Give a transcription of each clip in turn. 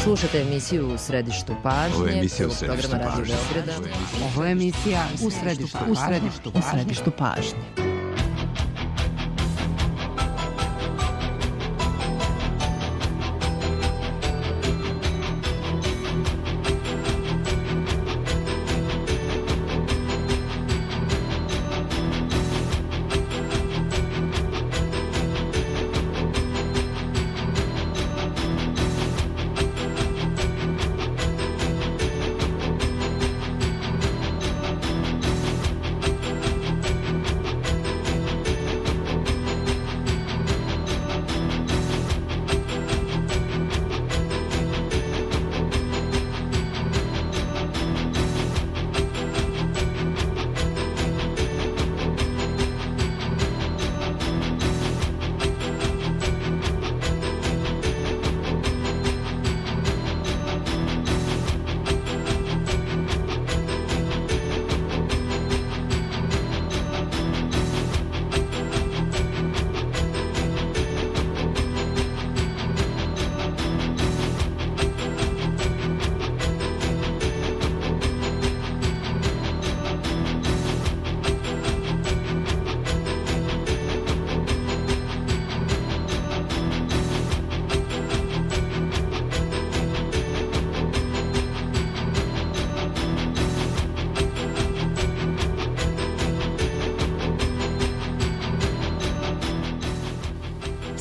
Slušate emisiju U središtu pažnje. Ovo je emisija U središtu programa Radio Beograda. Ovo je emisija U središtu pažnje.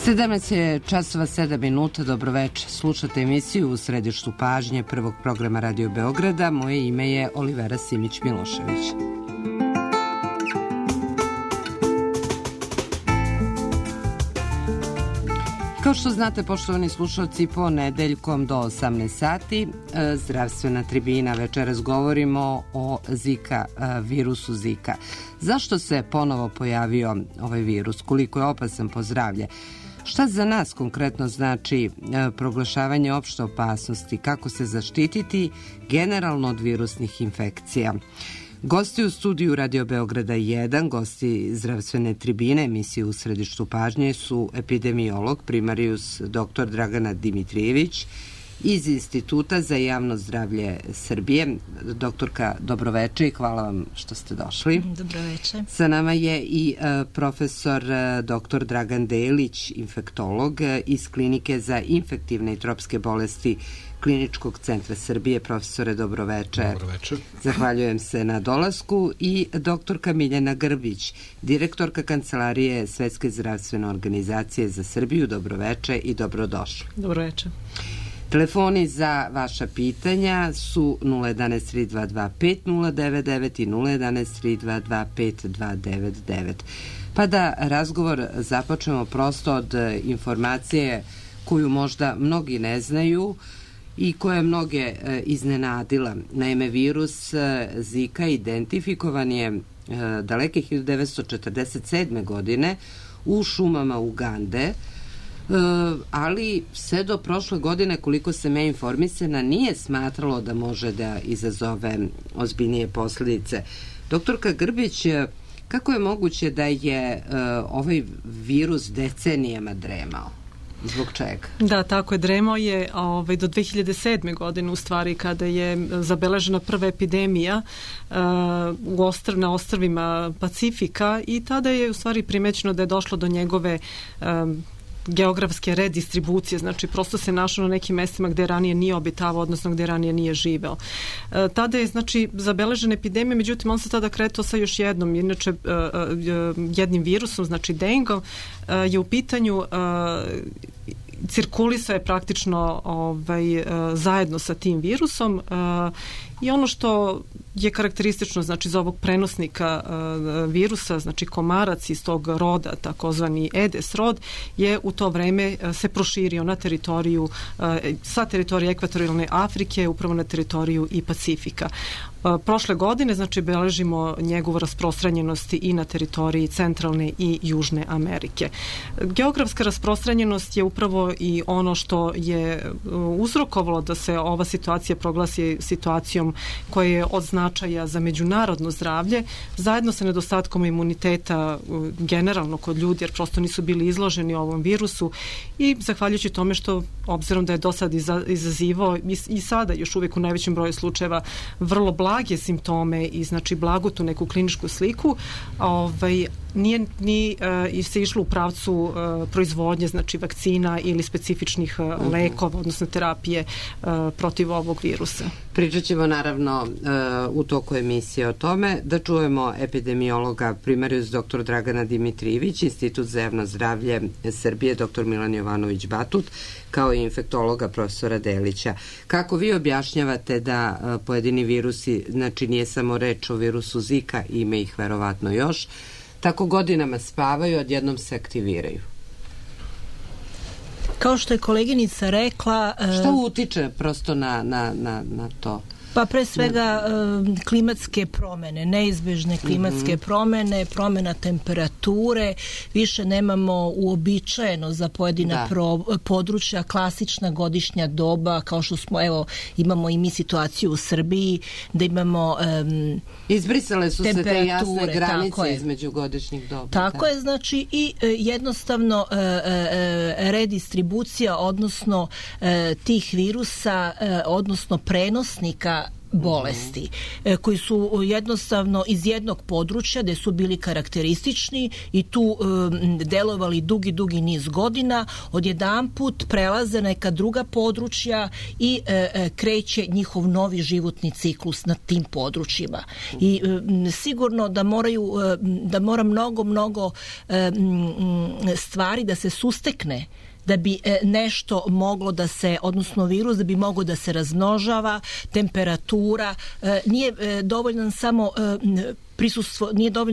Sedamnaest je časova 7 minuta. Dobroveče. Slušate emisiju U središtu pažnje prvog programa Radio Beograda. Moje ime je Olivera Simić-Milošević. Kao što znate, poštovani slušalci, ponedeljkom do 18 sati zdravstvena tribina. Večeras govorimo o Zika, virusu Zika. Zašto se ponovo pojavio ovaj virus? Koliko je opasan po zdravlje? Šta za nas konkretno znači proglašavanje opšte opasnosti? Kako se zaštititi generalno od virusnih infekcija? Gosti u studiju Radio Beograda 1, gosti zdravstvene tribine emisije U središtu pažnje su epidemiolog primarijus dr. Dragana Dimitrijević iz Instituta za javno zdravlje Srbije. Doktorka, dobroveče i hvala vam što ste došli. Dobroveče. Sa nama je i profesor dr. Dragan Delić, infektolog iz Klinike za infektivne i tropske bolesti Kliničkog centra Srbije. Profesore, dobroveče. Dobroveče. Zahvaljujem se na dolasku. I doktorka Miljana Grbić, direktorka Kancelarije Svetske zdravstvene organizacije za Srbiju. Dobroveče i dobrodošli. Dobroveče. Telefoni za vaša pitanja su 011 322 5099 i 011 322 5299. Pa da razgovor započnemo prosto od informacije koju možda mnogi ne znaju i koja je mnoge iznenadila. Naime, virus Zika identifikovan je daleke 1947. godine u šumama Ugande, ali sve do prošle godine, koliko sam ja informisana, nije smatralo da može da izazove ozbiljnije posljedice. Doktorka Grbić, kako je moguće da je ovaj virus decenijama dremao? Zbog čega? Da, tako je. Dremao je do 2007. godine, u stvari, kada je zabeležena prva epidemija na ostrvima Pacifika, i tada je u stvari primećeno da je došlo do njegove geografske redistribucije, znači prosto se našao na nekim mestima gde ranije nije obitavao, odnosno gde ranije nije živeo. Tada je, znači, zabeležena epidemija, međutim on se tada kretao sa još jednom, inače jednim virusom, znači dengom, je u pitanju, cirkulisao je praktično zajedno sa tim virusom, i ono što je karakteristično, znači, za ovog prenosnika virusa, znači komarac iz tog roda, takozvani Aedes rod, je u to vreme se proširio na teritoriju, sa teritorije ekvatorijalne Afrike, upravo na teritoriju i Pacifika. Prošle godine, znači, beležimo njegovu rasprostranjenost i na teritoriji Centralne i Južne Amerike. Geografska rasprostranjenost je upravo i ono što je uzrokovalo da se ova situacija proglasi situacijom koja je od značaja za međunarodno zdravlje, zajedno sa nedostatkom imuniteta generalno kod ljudi, jer prosto nisu bili izloženi ovom virusu, i zahvaljujući tome što, obzirom da je do sad izazivao i sada još uvijek u najvećem broju slučajeva vrlo blage simptome i znači blagu tu neku kliničku sliku, nije se išlo u pravcu proizvodnje, znači vakcina ili specifičnih lekova, odnosno terapije protiv ovog virusa. Pričat ćemo naravno u toku emisije o tome. Da čujemo epidemiologa primarius dr. Dragana Dimitrijević, Institut za javno zdravlje Srbije, dr. Milan Jovanović Batut, kao i infektologa profesora Delića. Kako vi objašnjavate da pojedini virusi, znači nije samo reč o virusu Zika, ima ih verovatno još, tako godinama spavaju, odjednom se aktiviraju? Kao što je koleginica rekla... Šta utiče prosto na to? Pa pre svega klimatske promene, neizbežne klimatske promene, promena temperature, više nemamo uobičajeno za pojedina područja klasična godišnja doba, kao što smo, evo, imamo i mi situaciju u Srbiji, da imamo izbrisale su se te jasne granice između godišnjih doba. Tako je, znači, i jednostavno redistribucija, odnosno tih virusa, odnosno prenosnika bolesti, koji su jednostavno iz jednog područja gde su bili karakteristični i tu delovali dugi niz godina, odjedanput prelaze neka druga područja i kreće njihov novi životni ciklus na tim područjima. I sigurno da mora mnogo stvari da se sustekne da bi nešto moglo da se, odnosno virus, da bi moglo da se razmnožava, temperatura, nije dovoljno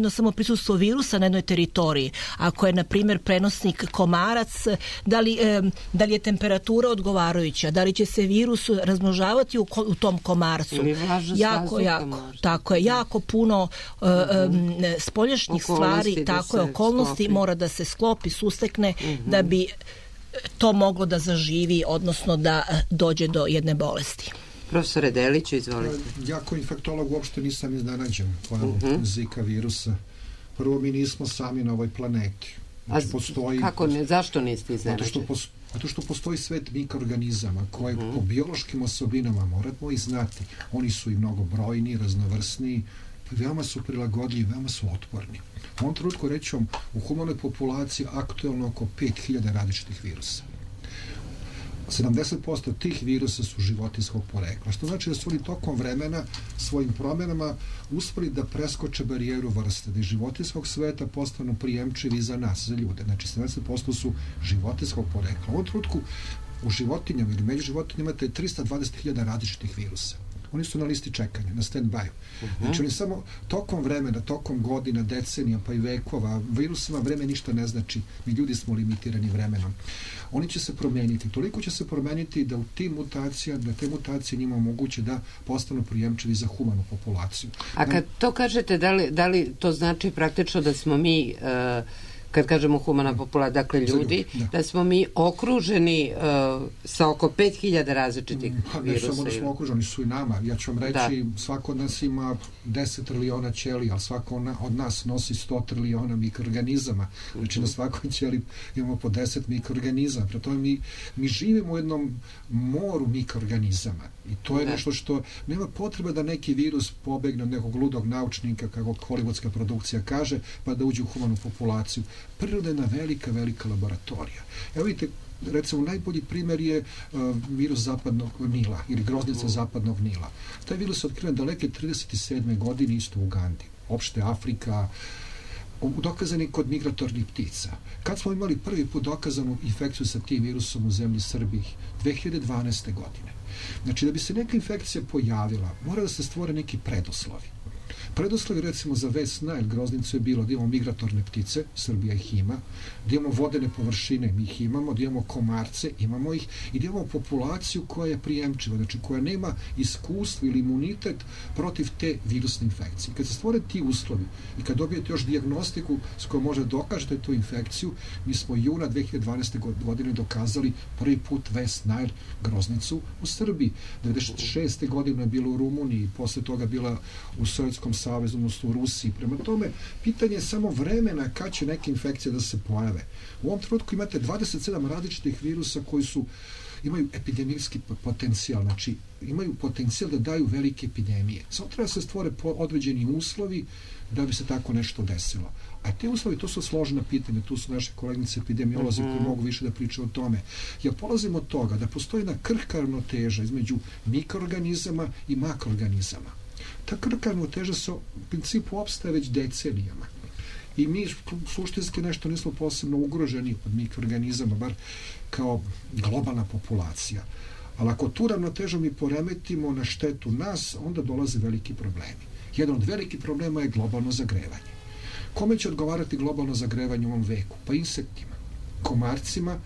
samo prisustvo virusa na jednoj teritoriji. Ako je, na primjer, prenosnik komarac, da li je temperatura odgovarajuća, da li će se virus razmnožavati u tom komarcu. Jako puno spoljašnjih stvari, tako je, okolnosti mora da se sklopi, sustekne, da bi to moglo da zaživi, odnosno da dođe do jedne bolesti. Profesore Deliću, izvolite. Ja kao infektolog uopšte nisam iznenađen pojavom Zika virusa. Prvo, mi nismo sami na ovoj planeti. Znači, zašto niste iznenađeni? Zato što postoji svet mikroorganizama koje po biološkim osobinama moramo i znati. Oni su i mnogo brojni, raznovrsni, veoma su prilagodljivi, veoma su otporni. U ovom trenutku, reći vam, u humanoj populaciji aktuelno oko 5000 različitih virusa. 70% tih virusa su životinjskog porekla, što znači da su oni tokom vremena svojim promjenama uspeli da preskoče barijeru vrste, da iz životinjskog sveta postanu prijemčivi za nas, za ljude. Znači, 70% su životinjskog porekla. U ovom trenutku u životinjama ili među životinjama imate 320.000 različitih virusa. Oni su na listi čekanja, na stand-by. Znači, oni samo tokom vremena, tokom godina, decenija, pa i vekova, virusima vreme ništa ne znači. Mi ljudi smo limitirani vremenom. Oni će se promeniti. Toliko će se promeniti da te mutacije njima omoguće da postanu prijemčivi za humanu populaciju. A kad to kažete, da li to znači praktično da smo mi... kad kažemo humana populacija, dakle ljudi, da smo mi okruženi sa oko 5000 različitih virusa. Ne samo da smo okruženi, su i nama. Ja ću vam reći, svako od nas ima 10 trilijona ćelija, ali svako od nas nosi 100 trilijona mikroorganizama. Znači, na svakoj ćeliji imamo po 10 mikroorganizama. Prema tome, mi živimo u jednom moru mikroorganizama. I to je nešto što nema potreba da neki virus pobegne od nekog ludog naučnika, kako hollywoodska produkcija kaže, pa da uđe u humanu populaciju. Priroda je jedna velika laboratorija. Evo vidite, recimo, najbolji primjer je virus zapadnog Nila ili groznica zapadnog Nila. Taj virus je otkriven daleke 37. godine isto u Ugandi. Opšte Afrika, dokazani kod migratornih ptica. Kad smo imali prvi put dokazanu infekciju sa tim virusom u zemlji Srbiji? 2012. godine. Znači, da bi se neka infekcija pojavila, mora da se stvore neki preduslovi. Preduslovi recimo za West Nile groznicu je bilo da imamo migratorne ptice, Srbija ih ima, da imamo vodene površine, mi ih imamo, da imamo komarce, imamo ih, i da imamo populaciju koja je prijemčiva, znači koja nema iskustvo ili imunitet protiv te virusne infekcije. Kad se stvore ti uslovi i kad dobijete još dijagnostiku s kojom možete dokažete tu infekciju, mi smo juna 2012. godine dokazali prvi put West Nile groznicu u Srbiji. 96. godine je bilo u Rumuniji, posle toga bila u Sovjetskom savezu, odnosno u Rusiji. Prema tome, pitanje je samo vremena kad će neke infekcije da se pojave. U ovom trenutku imate 27 različitih virusa koji imaju epidemijski potencijal, znači imaju potencijal da daju velike epidemije. Samo treba se stvore određeni uslovi da bi se tako nešto desilo. A te uslovi, to su složena pitanja, tu su naše kolegnice epidemiolozi koji mogu više da pričaju o tome. Ja polazim od toga da postoji jedna krhka ravnoteža između mikroorganizama i makroorganizama. Ta krhka ravnoteža se u principu opstaje već decenijama. I mi suštinski nešto nismo posebno ugroženi od mikroorganizama, bar kao globalna populacija. Ali ako tu ravnotežu mi poremetimo na štetu nas, onda dolaze veliki problemi. Jedan od velikih problema je globalno zagrevanje. Kome će odgovarati globalno zagrevanje u ovom veku? Pa insektima, komarcima,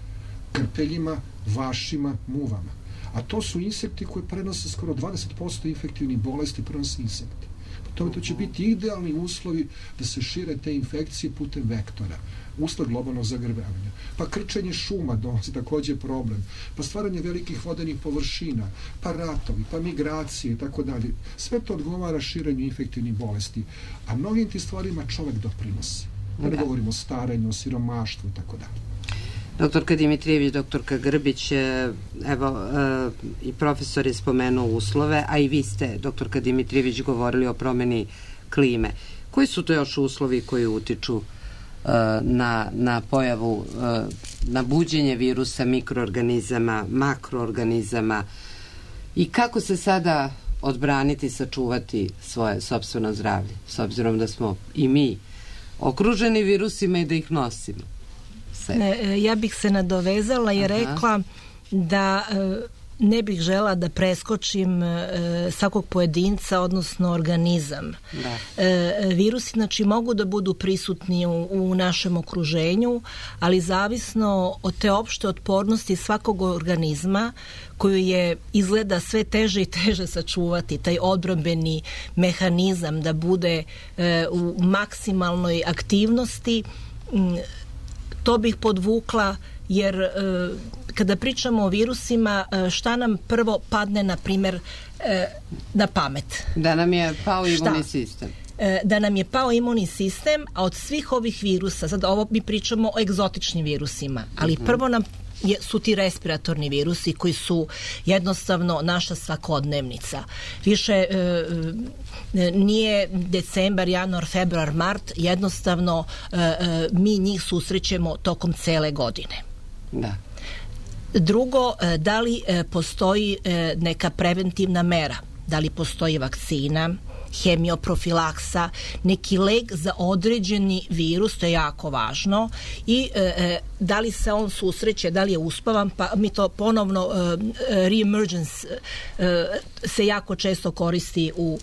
krpeljima, vašima, muvama. A to su insekti koji prenose skoro 20% infektivnih bolesti, prenose insekti. To će biti idealni uslovi da se šire te infekcije putem vektora, usled globalnog zagrevanja. Pa krčenje šuma donosi takođe problem, pa stvaranje velikih vodenih površina, pa ratovi, pa migracije i tako dalje. Sve to odgovara širenju infektivnih bolesti, a mnogim ti stvarima čovek doprinosi. Da govorimo o starenju, o siromaštvu i tako dalje. Doktorka Dimitrijević, doktorka Grbić, evo i profesor je spomenuo uslove, a i vi ste, doktorka Dimitrijević, govorili o promeni klime. Koji su to još uslovi koji utiču na pojavu, na buđenje virusa, mikroorganizama, makroorganizama i kako se sada odbraniti, sačuvati svoje sopstveno zdravlje, s obzirom da smo i mi okruženi virusima i da ih nosimo? Ja bih se nadovezala i rekla da ne bih žela da preskočim svakog pojedinca, odnosno organizam. Virusi, znači, mogu da budu prisutni u našem okruženju, ali zavisno od te opšte otpornosti svakog organizma, koju je izgleda sve teže i teže sačuvati, taj odbrambeni mehanizam da bude u maksimalnoj aktivnosti. To bih podvukla, jer kada pričamo o virusima, šta nam prvo padne, na primjer, na pamet? Da nam je pao imunni sistem. Da nam je pao imunni sistem, a od svih ovih virusa, sad ovo mi pričamo o egzotičnim virusima, ali prvo nam su ti respiratorni virusi koji su jednostavno naša svakodnevnica. Više nije decembar, januar, februar, mart, jednostavno mi njih susrećemo tokom cele godine. Da. Drugo, da li postoji neka preventivna mera? Da li postoji vakcina, hemioprofilaksa, neki lek za određeni virus, to je jako važno, i da li se on susreće, da li je uspavan, pa mi to ponovno reemergence se jako često koristi u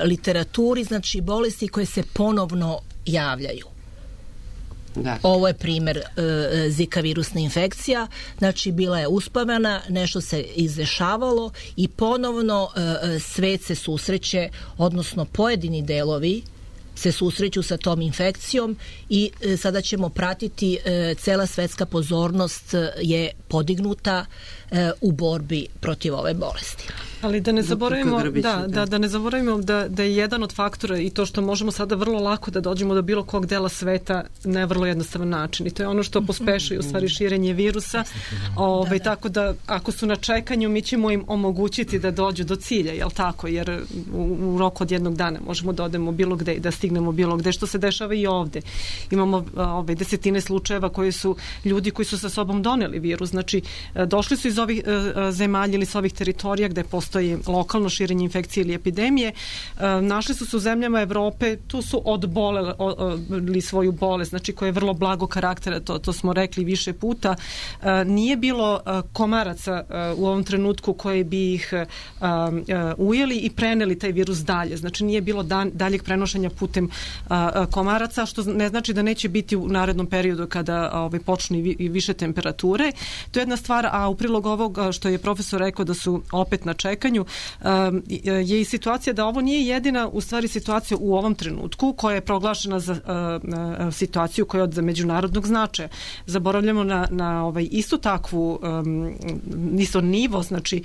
literaturi, znači bolesti koje se ponovno javljaju. Da. Ovo je primer Zika virusna infekcija, znači bila je uspavana, nešto se izdešavalo i ponovno svet se susreće, odnosno pojedini delovi se susreću sa tom infekcijom i sada ćemo pratiti, cela svetska pozornost je podignuta u borbi protiv ove bolesti. Ali da ne zaboravimo, da ne zaboravimo da je jedan od faktora i to što možemo sada vrlo lako da dođemo do bilo kog dela sveta na vrlo jednostavan način. I to je ono što pospešuje u stvari širenje virusa. Tako da ako su na čekanju, mi ćemo im omogućiti da dođu do cilja, jel tako? Jer u roku od jednog dana možemo da odemo bilo gde i da stignemo bilo gde, što se dešava i ovde. Imamo desetine slučajeva koji su ljudi koji su sa sobom doneli virus. Znači, došli su iz ovih zemalja ili sa ovih teritorija gde postoji postoji lokalno širenje infekcije ili epidemije. Našli su se u zemljama Evrope, tu su odboleli svoju bolest, znači koja je vrlo blago karaktera, to smo rekli više puta. Nije bilo komaraca u ovom trenutku koji bi ih ujeli i preneli taj virus dalje. Znači nije bilo daljeg prenošenja putem komaraca, što ne znači da neće biti u narednom periodu kada počnu i više temperature. To je jedna stvar, a u prilog ovog što je profesor rekao da su opet na čekanju, je i situacija da ovo nije jedina u stvari situacija u ovom trenutku koja je proglašena za situaciju koja je od međunarodnog značaja. Zaboravljamo na istu takvu isto nivo, znači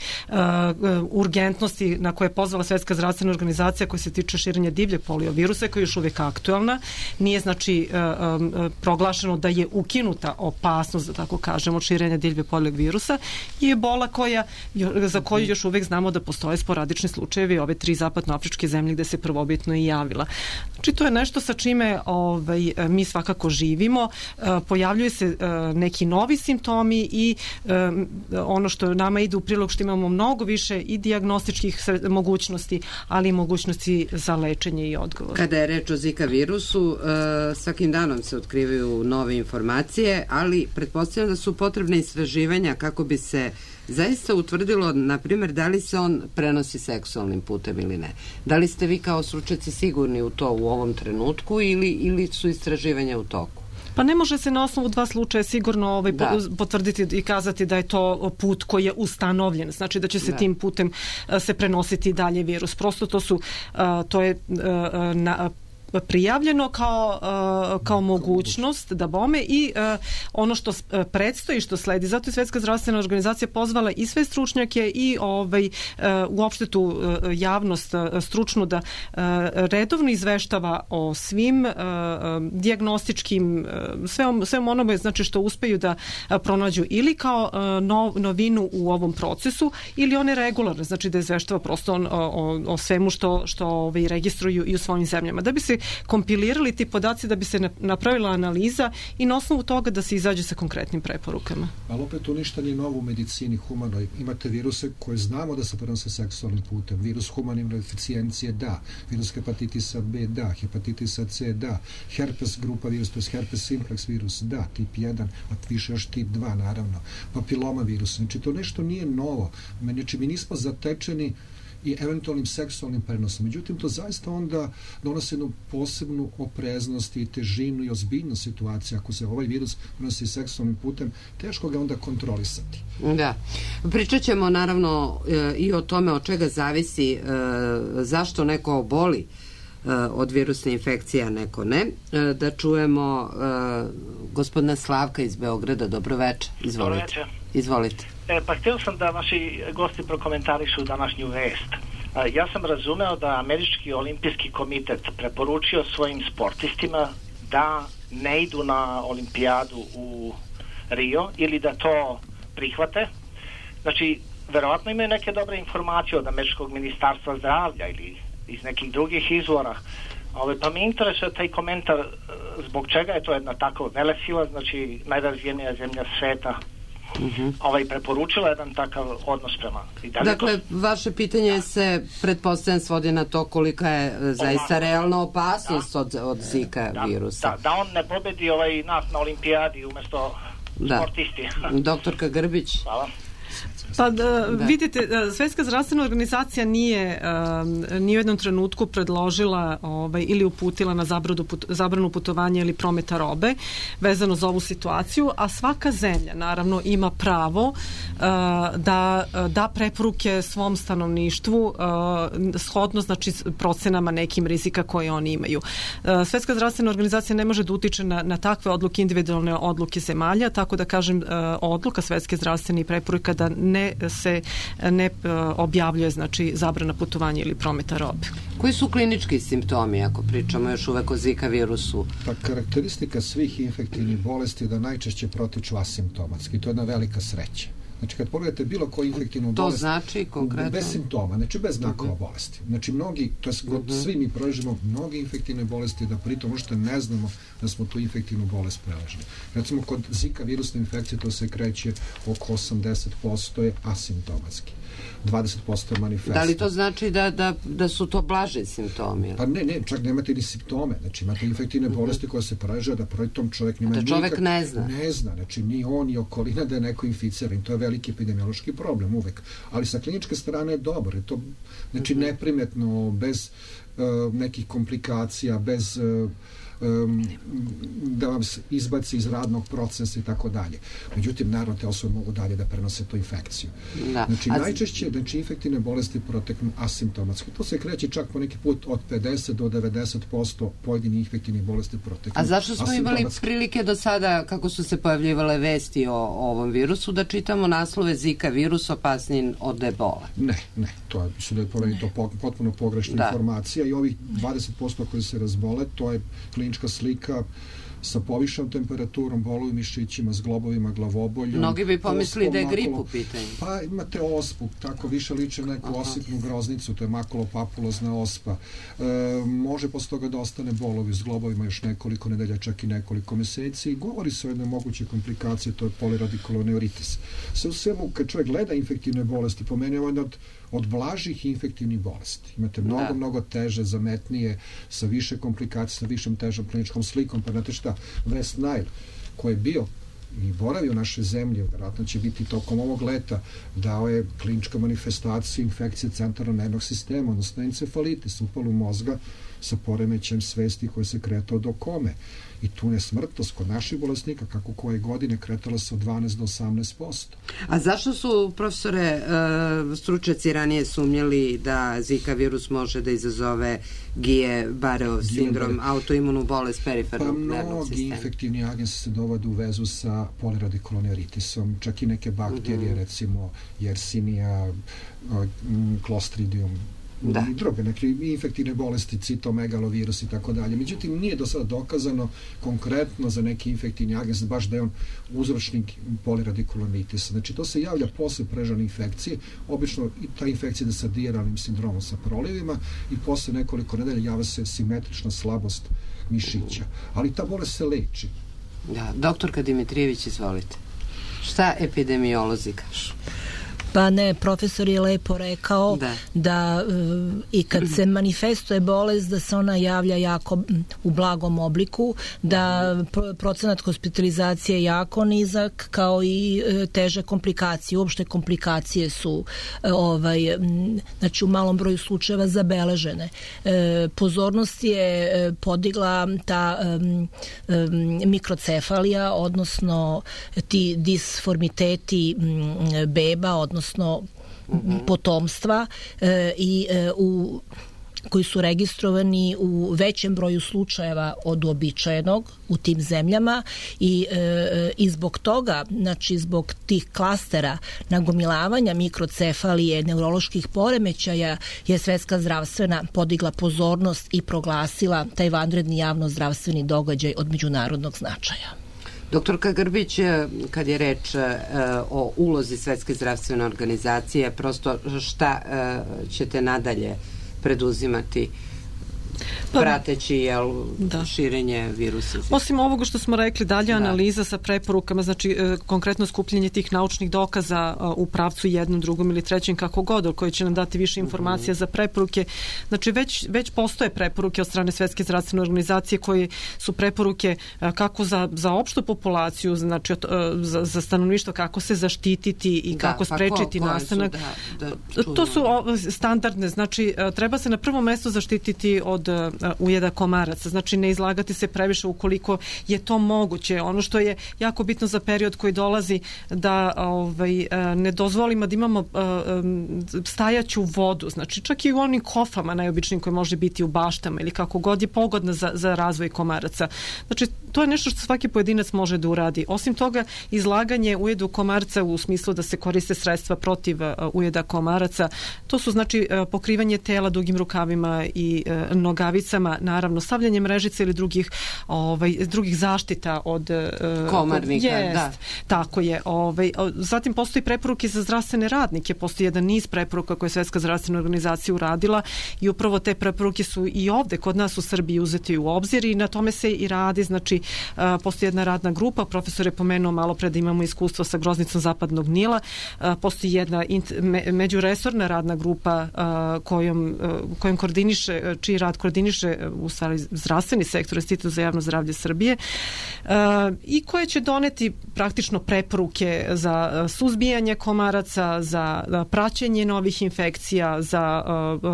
urgentnosti na koje je pozvala Svetska zdravstvena organizacija koja se tiče širenja divljeg poliovirusa, koja je još uvijek aktualna. Nije znači proglašeno da je ukinuta opasnost, da tako kažemo, od širenja divljeg poliovirusa, i ebola za koju još uvijek znamo da postoje sporadični slučajevi ove 3 zapadnoafričke zemlje gde se prvobitno i javila. Znači to je nešto sa čime mi svakako živimo. Pojavljuju se neki novi simptomi i ono što nama ide u prilog što imamo mnogo više i dijagnostičkih mogućnosti, ali i mogućnosti za lečenje i odgovor. Kada je reč o Zika virusu, svakim danom se otkrivaju nove informacije, ali pretpostavljam da su potrebne istraživanja kako bi se zaista utvrdilo, na primjer, da li se on prenosi seksualnim putem ili ne. Da li ste vi kao stručnjaci sigurni u to u ovom trenutku ili su istraživanja u toku? Pa ne može se na osnovu 2 slučaja sigurno potvrditi i kazati da je to put koji je ustanovljen. Znači da će se tim putem se prenositi dalje virus. Prosto to je prijavljeno kao mogućnost da bome i ono što predstoji, što sledi. Zato je Svetska zdravstvena organizacija pozvala i sve stručnjake i uopšte tu javnost stručnu da redovno izveštava o svim dijagnostičkim svem onome, znači što uspeju da pronađu ili kao novinu u ovom procesu ili one regularne, znači da izveštava prosto o svemu što registruju i u svojim zemljama. Da bi se kompilirali ti podaci, da bi se napravila analiza i na osnovu toga da se izađe sa konkretnim preporukama. Ali opet tu ništa nije novo u medicini humanoj. Imate viruse koje znamo da se prenose seksualnim putem. Virus humane imunodeficijencije da, virus hepatitisa B da, hepatitisa C da, herpes grupa virus, to je herpes simplex virus da, tip 1, a više još tip 2 naravno, papiloma virus. Znači to nešto nije novo. Znači mi nismo zatečeni i eventualnim seksualnim prenosom. Međutim, to zaista onda donosi jednu posebnu opreznost i težinu i ozbiljnost situacije. Ako se ovaj virus prenosi seksualnim putem, teško ga onda kontrolisati. Da. Pričat ćemo naravno i o tome od čega zavisi zašto neko oboli od virusne infekcije, a neko ne. Da čujemo gospodina Slavka iz Beograda. Dobroveče. Izvolite. Izvolite. Pa htio sam da vaši gosti prokomentarišu današnju vest. Ja sam razumeo da Američki olimpijski komitet preporučio svojim sportistima da ne idu na olimpijadu u Rio ili da to prihvate. Znači, verovatno imaju neke dobre informacije od Američkog ministarstva zdravlja ili iz nekih drugih izvora. Pa mi interesuje taj komentar zbog čega je to jedna tako velesila, znači najrazvijenija zemlja sveta preporučila jedan takav odnos prema. Dakle, vaše pitanje se pretpostavljam svodi na to kolika je zaista realna opasnost od Zika virusa. Da on ne pobedi nas na olimpijadi umjesto sportisti. Doktorka Grbić. Hvala. Pa vidite, Svetska zdravstvena organizacija nije ni u jednom trenutku predložila ili uputila na zabranu putovanja ili prometa robe vezano za ovu situaciju, a svaka zemlja naravno ima pravo da preporuke svom stanovništvu shodno znači procenama nekim rizika koje oni imaju. Svetska zdravstvena organizacija ne može da utiče na takve odluke, individualne odluke zemalja, tako da kažem odluka Svetske zdravstvene preporuka da ne objavljuje znači zabrana putovanja ili prometa robe. Koji su klinički simptomi ako pričamo još uvek o Zika virusu? Pa karakteristika svih infektivnih bolesti je da najčešće protiču asimptomatski. To je jedna velika sreća. Znači, kad pogledate bilo koju infektivnu bolest... To znači konkretno? Bez simptoma, znači bez znakova bolesti. Znači, svi mi proživimo mnoge infektivne bolesti, da pritom uopšte ne znamo da smo tu infektivnu bolest preležili. Recimo, kod Zika virusne infekcije to se kreće oko 80% je asimptomatski. 20% manifesta. Da li to znači da su to blaži simptomi? Pa ne, čak nemate ni simptome. Znači imate infektivne bolesti koje se poražaju da pritom čovjek nema nikak... čovjek ne zna. Ne zna, znači ni on ni okolina da je neko inficiran. To je veliki epidemiološki problem uvek. Ali sa kliničke strane je dobro. Je to, znači neprimetno, bez nekih komplikacija, bez... da vam se izbaci iz radnog procesa i tako dalje. Međutim, naravno, te osobe mogu dalje da prenose tu infekciju. Da. Znači, najčešće infektivne bolesti proteknu asimptomatski. To se kreće čak po neki put od 50 do 90% pojedinih infektivnih bolesti proteknu. A zašto smo imali prilike do sada, kako su se pojavljivale vesti o ovom virusu, da čitamo naslove Zika virus opasniji od ebola? Ne. To je, mislim da je to potpuno pogrešna informacija i ovih 20% koji se razbole, to je klinička slika sa povišenom temperaturom, boluju mišićima, zglobovima, glavoboljom. Mnogi bi pomislili da je grip u pitanju. Pa imate ospu, tako više liče neku osipnu groznicu, to je makulopapulozna ospa. Može posle toga da ostane bolovi s globovima još nekoliko nedelja, čak i nekoliko meseci. Govori se o jednoj mogućoj komplikaciji, to je poliradikuloneuritis. Sve u svemu, kad čovjek gleda infektivne bolesti, po meni je ovo od blažih infektivnih bolesti. Imate mnogo teže, zametnije, sa više komplikacija, sa višom težom kliničkom slikom. Pa znate šta, West Nile, koji je bio i boravio u našoj zemlji, vjerojatno će biti tokom ovog leta, dao je klinička manifestacija infekcije centralnog nervnog sistema, odnosno encefalitis, upalu mozga sa poremećajem svesti koji se kretao do kome. I tu je smrtnost kod naših bolesnika, kako koje godine, kretala se od 12 do 18%. A zašto su, profesore, stručnjaci ranije sumnjali da Zika virus može da izazove Guillain-Barré sindrom, autoimunu bolest perifernog nervnog sistema? Mnogi infektivni agensi se dovode u vezu sa poliradikuloneuritisom, čak i neke bakterije, recimo Yersinia, Clostridium, i druge, neke infektivne bolesti, citomegalovirus i tako dalje. Međutim, nije do sada dokazano konkretno za neki infektivni agens baš da je on uzročnik poliradikuloneritisa. Znači, to se javlja posle prežane infekcije, obično i ta infekcija sa dijaralnim sindromom, sa prolivima i posle nekoliko nedelja javlja se simetrična slabost mišića. Ali ta bolest se leči. Da, doktorka Dimitrijević, izvolite. Šta epidemiolozi kažu? Pa ne, profesor je lepo rekao da i kad se manifestuje bolest da se ona javlja jako u blagom obliku, da procenat hospitalizacije je jako nizak, kao i teže komplikacije. Uopšte komplikacije su znači u malom broju slučajeva zabeležene. Pozornost je podigla ta mikrocefalija, odnosno ti disformiteti beba, odnosno potomstva koji su registrovani u većem broju slučajeva od uobičajenog u tim zemljama i zbog toga, znači zbog tih klastera nagomilavanja mikrocefalije, neuroloških poremećaja je Svetska zdravstvena podigla pozornost i proglasila taj vanredni javno-zdravstveni događaj od međunarodnog značaja. Doktorka Grbić, kad je reč o ulozi Svetske zdravstvene organizacije, prosto šta ćete nadalje preduzimati prateći širenje virusa? Osim ovoga što smo rekli, dalje analiza sa preporukama, znači konkretno skupljenje tih naučnih dokaza u pravcu jednom, drugom ili trećem, kako god, koji će nam dati više informacija za preporuke. Znači već postoje preporuke od strane Svetske zdravstvene organizacije koje su preporuke kako za opštu populaciju, znači za stanovništvo, kako se zaštititi i kako sprečiti nastanak. To su standardne, znači treba se na prvo mesto zaštititi od ujeda komaraca, znači ne izlagati se previše ukoliko je to moguće. Ono što je jako bitno za period koji dolazi, da ne dozvolimo da imamo stajaću vodu, znači čak i u onim kofama najobičnijim koje može biti u baštama ili kako god je pogodna za razvoj komaraca. Znači to je nešto što svaki pojedinac može da uradi. Osim toga, izlaganje ujedu komarca u smislu da se koriste sredstva protiv ujeda komaraca, to su znači pokrivanje tela dugim rukavima i nogavicama mrežicama, naravno stavljanje mrežica ili drugih zaštita od komarnika. Da. Tako je. Zatim postoji preporuke za zdravstvene radnike, postoji jedan niz preporuka koje je Svetska zdravstvena organizacija uradila i upravo te preporuke su i ovde kod nas u Srbiji uzeti u obzir i na tome se i radi. Znači, postoji jedna radna grupa, profesor je pomenuo malo pre da imamo iskustvo sa groznicom Zapadnog Nila, postoji jedna međuresorna radna grupa kojom koordiniše, čiji rad koordiniše u stvari zdravstveni sektor, Institut za javno zdravlje Srbije, i koje će doneti praktično preporuke za suzbijanje komaraca, za praćenje novih infekcija, za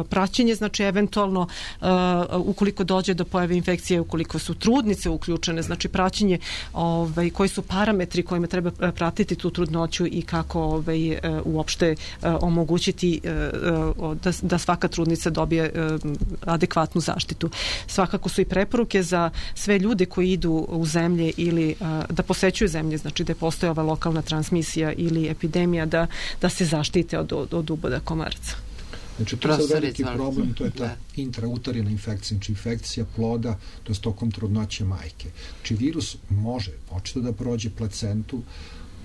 praćenje, znači eventualno ukoliko dođe do pojave infekcije, ukoliko su trudnice uključene, znači praćenje koji su parametri kojima treba pratiti tu trudnoću i kako uopšte omogućiti da svaka trudnica dobije adekvatnu zaštitu. Svakako su i preporuke za sve ljude koji idu u zemlje ili da posećuju zemlje, znači da postoji ova lokalna transmisija ili epidemija, da se zaštite od uboda komaraca. Znači, to je sad veliki problem, to je ta intrauterina infekcija, znači infekcija ploda, to je tokom trudnoće majke. Znači, virus može očito da prođe placentu,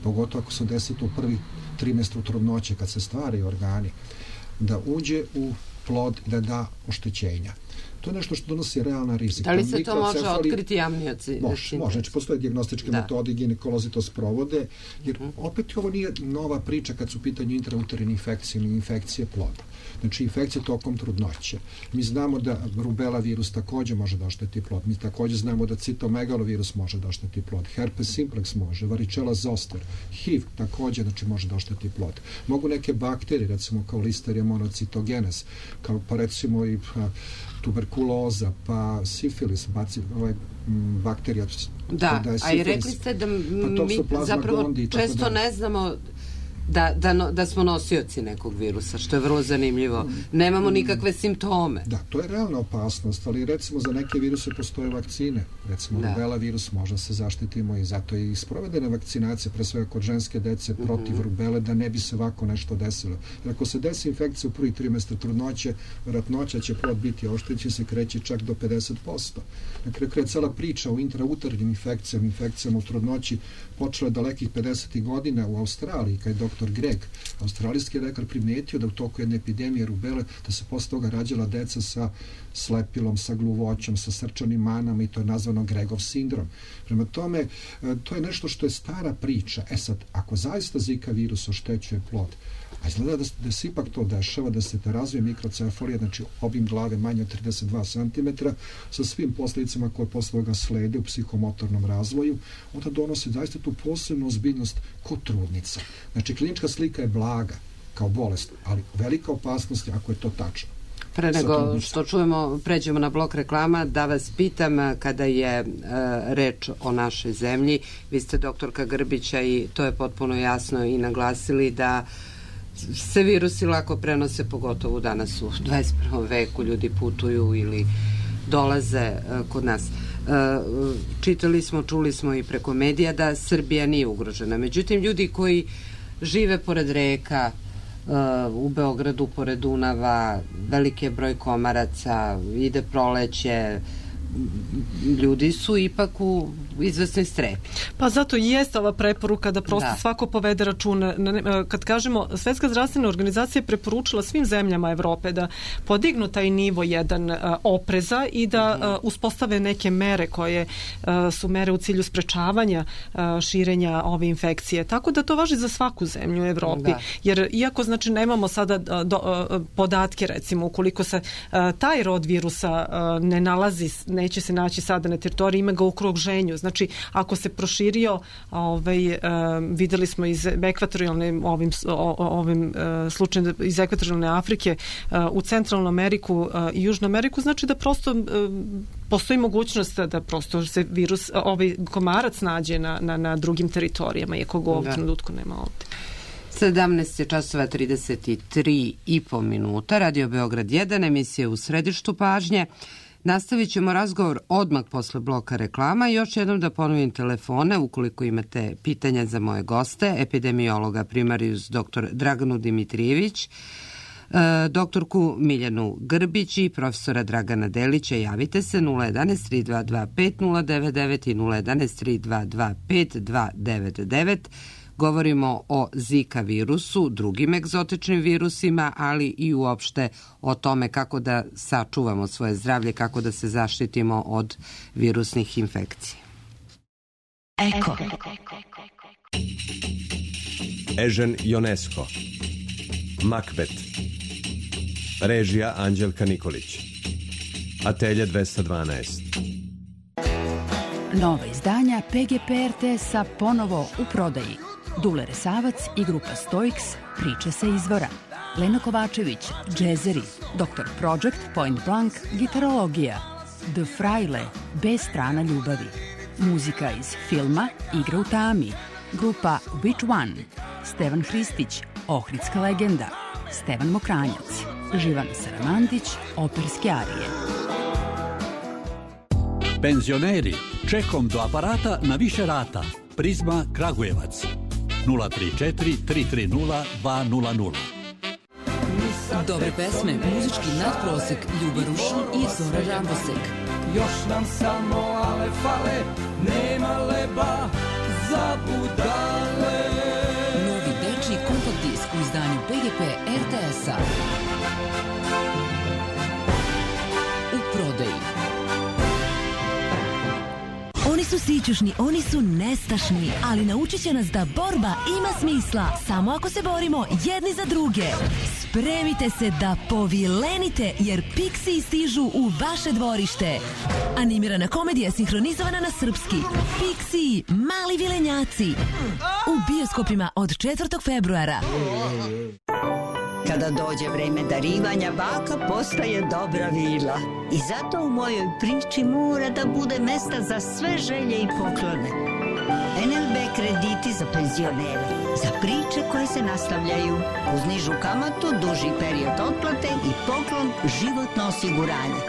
pogotovo ako se desi to u prvi trimestru trudnoće, kad se stvaraju organi, da uđe u plod i da da oštećenja. To je nešto što donosi realna rizika. Da li se to može otkriti amnioci? Može. Znači, postoje dijagnostičke metode, ginekolozi to sprovode, jer opet ovo nije nova priča kad su u pitanju intrauterine infekcije ili infekcije ploda. Znači, infekcije tokom trudnoće. Mi znamo da rubela virus također može da ošteti plod. Mi također znamo da citomegalovirus može da ošteti plod. Herpes simplex može, varicella zoster, HIV također, znači, može da ošteti plod. Mogu neke bakterije, recimo kao Listeria monocitogenes, kao pa recimo i tuberkuloza, pa sifilis, bakterija. Da, a i rekli ste da mi zapravo često ne znamo da smo nosioci nekog virusa, što je vrlo zanimljivo. Nemamo nikakve simptome. Da, to je realna opasnost, ali recimo za neke viruse postoje vakcine. Recimo rubela virus može se zaštitimo i zato je i sprovedena vakcinacija, pre svega kod ženske dece protiv rubele, da ne bi se ovako nešto desilo. Jer ako se desi infekcija u prvi trimestar trudnoće, vjerojatnoća će plod biti oštećen, se kreće čak do 50%. Na kraju je cela priča o intrauternim infekcijama u trudnoći počela je dalekih 50. godina u Australiji, kad je dr. Greg, australijski lekar, primetio da u toku jedne epidemije rubele, da se posle toga rađala deca sa slepilom, sa gluvoćom, sa srčanim manama i to je nazvano Gregov sindrom. Prema tome, to je nešto što je stara priča. Sad, ako zaista Zika virus oštećuje plod, a izgleda da se ipak to dešava, da se te razvije mikrocefalija, znači obim glave manje od 32 cm, sa svim posljedicama koje posle toga slede u psihomotornom razvoju, onda donosi zaista tu posebnu ozbiljnost kod trudnica. Znači, klinička slika je blaga kao bolest, ali velika opasnost je ako je to tačno. Pre nego što čujemo, pređemo na blok reklama, da vas pitam, kada je reč o našoj zemlji, vi ste doktorka Grbića i to je potpuno jasno i naglasili da se virusi lako prenose, pogotovo danas u 21. veku, ljudi putuju ili dolaze kod nas. Čitali smo, čuli smo i preko medija da Srbija nije ugrožena. Međutim, ljudi koji žive pored reka, u Beogradu, pored Dunava, veliki je broj komaraca, ide proleće, ljudi su ipak u izvesnoj strepi. Pa zato i jeste ova preporuka da prosto svako povede računa. Kad kažemo, Svetska zdravstvena organizacija je preporučila svim zemljama Evrope da podignu taj nivo jedan opreza i da uspostave neke mere koje su mere u cilju sprečavanja širenja ove infekcije. Tako da to važi za svaku zemlju u Evropi. Jer iako znači nemamo sada podatke, recimo, ukoliko se taj rod virusa ne nalazi, neće se naći sada na teritoriji, ima ga u okruženju. Znači, ako se proširio, videli smo iz ekvatorijalne ovim slučajem iz ekvatorijalne Afrike u Centralnu Ameriku i Južnu Ameriku, znači da prosto postoji mogućnost da prosto se virus, komarac nađe na drugim teritorijama, iako ga u ovom trenutku nema ovde. 17 je časova 33,5 minuta. Radio Beograd 1, emisija u središtu pažnje. Nastavit ćemo razgovor odmah posle bloka reklama i još jednom da ponovim telefone ukoliko imate pitanja za moje goste, epidemiologa primarius dr. Draganu Dimitrijević, Doktorku Miljanu Grbić i profesora Dragana Delića javite se 011 322 5099 i 011 322 5299. Govorimo o Zika virusu, drugim egzotičnim virusima, ali i uopšte o tome kako da sačuvamo svoje zdravlje, kako da se zaštitimo od virusnih infekcija. Eko. Ežen Ionesco. Makbet. Režija Anđelka Nikolić. Atelje 212. Nova izdanja PGP RTS-a ponovo u prodaji. Dule Resavac i grupa Stoiks, priče sa izvora. Lena Kovačević, džezeri, Dr. Project, Point Blank, gitarologija. The Fraile, bez strana ljubavi. Muzika iz filma Igra u tami. Grupa Which One? Stevan Hristić, Ohridska legenda. Stevan Mokranjac. Živan Saramandić, operske arije. Penzioneri, čekom do aparata na više rata. Prizma Kragujevac. 034 330 200. Dobre pesme, muzički nadprosek, Ljuba Rušin i Zora Rambosek. Još nam samo ale fale, nema leba za budale. Novi dečiji kompakt disk u izdanju PGP RTS-a. U prodaji. Oni su sićušni, oni su nestašni, ali naučit će nas da borba ima smisla samo ako se borimo jedni za druge. Spremite se da povilenite, jer Pixiji stižu u vaše dvorište. Animirana komedija sinhronizovana na srpski. Pixiji, mali vilenjaci. U bioskopima od 4. februara. Kada dođe vreme darivanja, baka postaje dobra vila. I zato u mojoj priči mora da bude mesta za sve želje i poklone. NLB krediti za penzionere, za priče koje se nastavljaju, uz nižu kamatu, duži period otplate i poklon životno osiguranje.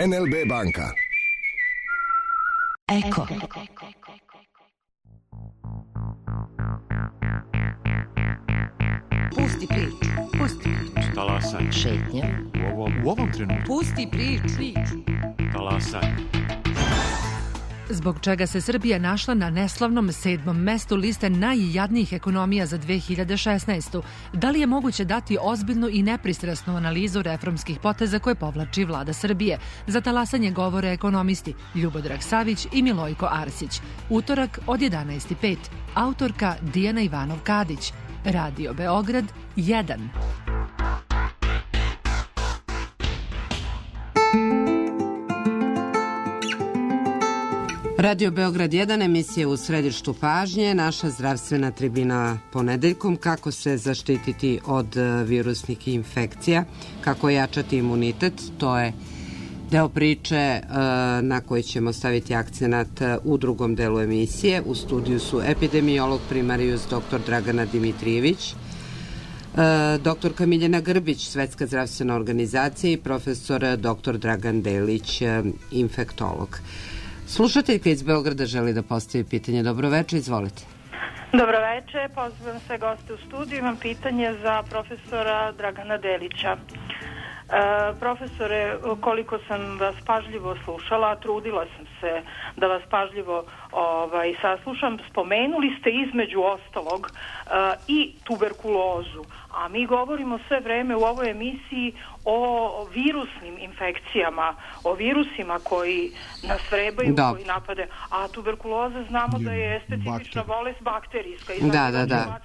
NLB banka. Eko. Pusti priču, pusti priču. Talasanje. Šetnja. U ovom trenutku. Pusti priču. Talasanje. Zbog čega se Srbija našla na neslavnom 7. mestu liste najjadnijih ekonomija za 2016. Da li je moguće dati ozbiljnu i nepristrasnu analizu reformskih poteza koje povlači vlada Srbije? Za talasanje govore ekonomisti Ljubodrag Savić i Milojko Arsić. Utorak od 11:05. Autorka Dijana Ivanov-Kadić. Radio Beograd 1. Radio Beograd 1, emisija u središtu pažnje, naša zdravstvena tribina ponedeljkom, kako se zaštititi od virusnih infekcija, kako jačati imunitet, to je deo priče na koji ćemo staviti akcenat u drugom delu emisije. U studiju su epidemiolog primarius dr. Dragana Dimitrijević, doktorka Miljana Grbić, Svetska zdravstvena organizacija i profesor dr. Dragan Delić, infektolog. Slušateljka iz Beograda želi da postavi pitanje. Dobro večer, izvolite. Dobro večer, pozivam sve goste u studiju. Imam pitanje za profesora Dragana Delića. Profesore, koliko sam vas pažljivo slušala, trudila sam se da vas pažljivo saslušam, spomenuli ste između ostalog i tuberkulozu, a mi govorimo sve vreme u ovoj emisiji o virusnim infekcijama, o virusima koji nas vrebaju, koji napade, a tuberkuloza znamo da je specifična bolest bakterijska. Da.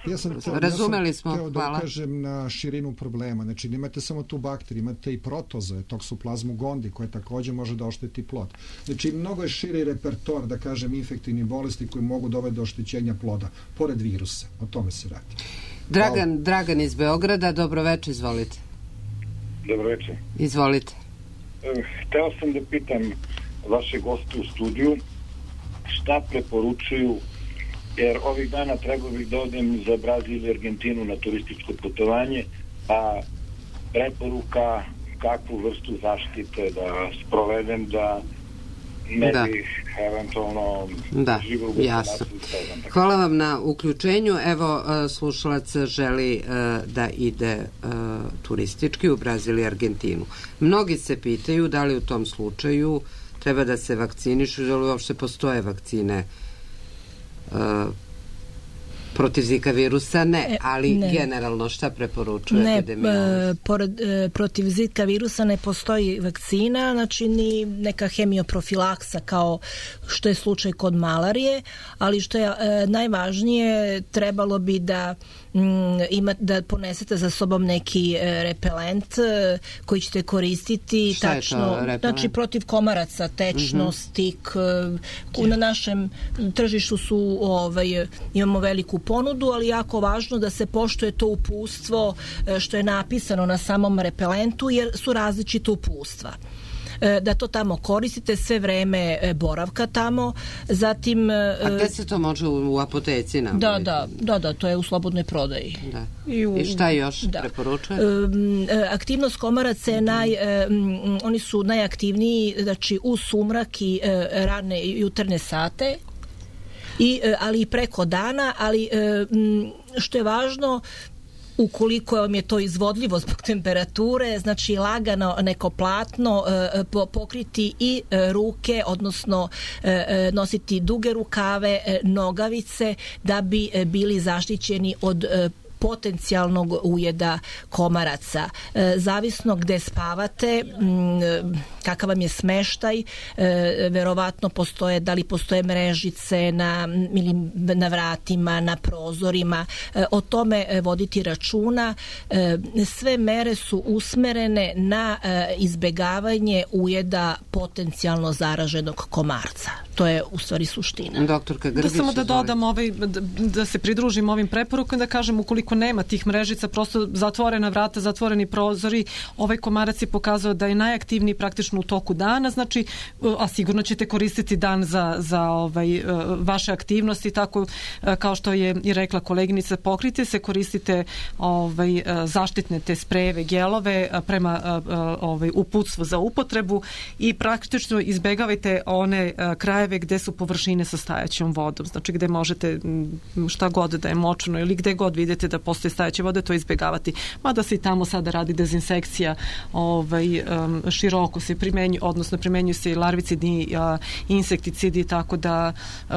Razumeli smo. Hteo da ukažem na širinu problema. Znači, nemate samo tu bakteriju, imate i protoze, toksoplazmu gondi, koje takođe može da ošteti plod. Znači, mnogo je širi repertoar, da kažem, infektivnih bolesti koji mogu dovesti do oštećenja ploda, pored virusa. O tome se radi. Dragan iz Beograda, dobro večer, izvolite. Dobro večer. Izvolite. Hteo sam da pitam vaše goste u studiju šta preporučuju, jer ovih dana trebao bih da odem za Brazil i Argentinu na turističko putovanje, a preporuka kakvu vrstu zaštite da sprovedem da ne bih eventualno živio u jasno. Hvala vam na uključenju. Evo, slušalac želi da ide turistički u Brazil i Argentinu. Mnogi se pitaju da li u tom slučaju treba da se vakcinišu, da li uopšte postoje vakcine protiv Zika virusa, ali generalno šta preporučuje epidemiolog? Protiv Zika virusa ne postoji vakcina, znači ni neka hemioprofilaksa kao što je slučaj kod malarije, ali što je najvažnije, trebalo bi da ponesete za sobom neki repelent koji ćete koristiti. Šta je to repelent? Znači protiv komaraca, tečnost, stik. Na našem tržištu imamo veliku ponudu, ali jako važno da se poštuje to uputstvo što je napisano na samom repelentu, jer su različita uputstva. Da to tamo koristite sve vreme boravka tamo, zatim... A gde se to može u apoteci nabaviti? Da, to je u slobodnoj prodaji. I šta još preporučuje? Aktivnost komaraca je oni su najaktivniji, znači u sumrak i rane jutarnje sate, ali i preko dana, ali što je važno, ukoliko vam je to izvodljivo zbog temperature, znači lagano neko platno pokriti i ruke, odnosno nositi duge rukave, nogavice, da bi bili zaštićeni od potencijalnog ujeda komaraca. Zavisno gde spavate, kakav vam je smeštaj, verovatno da li postoje mrežice na vratima, na prozorima, o tome voditi računa. Sve mere su usmerene na izbegavanje ujeda potencijalno zaraženog komarca. To je u stvari suština. Doktorka Grgić, da samo da dodam da se pridružim ovim preporukama, da kažem, ukoliko nema tih mrežica, prosto zatvorena vrata, zatvoreni prozori, ovaj komarac je pokazao da je najaktivniji praktično u toku dana, znači, a sigurno ćete koristiti dan za vaše aktivnosti, tako kao što je i rekla koleginica, pokrite se, koristite zaštitne te sprejeve, gelove prema uputstvu za upotrebu i praktično izbegavajte one krajeve gde su površine sa stajaćom vodom, znači gde možete šta god da je močno ili gde god vidite da postoje stajaće vode, to izbegavati. Mada se i tamo sada radi dezinsekcija, široko se primenjuju se i larvicidni insekticidi, tako da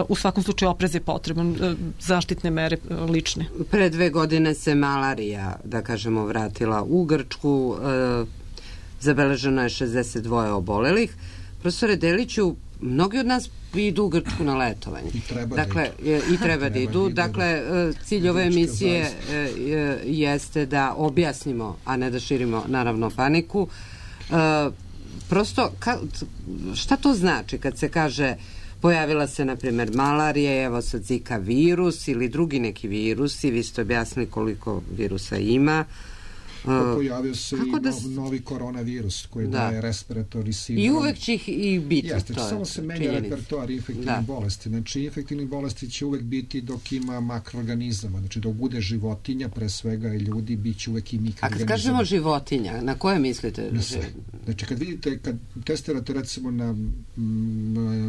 u svakom slučaju oprez je potreban, zaštitne mere lične. Pre 2 godine se malarija, da kažemo, vratila u Grčku, zabeleženo je 62 obolelih. Profesore Deliću, mnogi od nas idu u Grčku na letovanje. I treba da idu. Dakle, cilj ove emisije jeste da objasnimo, a ne da širimo, naravno, paniku. Prosto, šta to znači kad se kaže pojavila se, na primjer, malarija, evo sad Zika virus ili drugi neki virusi, vi ste objasnili koliko virusa ima. Pojavio se i novi koronavirus koji daje respiratorni sindrom. I uvek će ih i biti. Jeste, samo se menja repertoar infektivnih bolesti. Znači, infektivnih bolesti će uvek biti dok ima makroorganizama. Znači, dok bude životinja, pre svega i ljudi, bit će uvek i mikroorganizama. A kad kažemo životinja, na koje mislite? Znači, kad testirate recimo na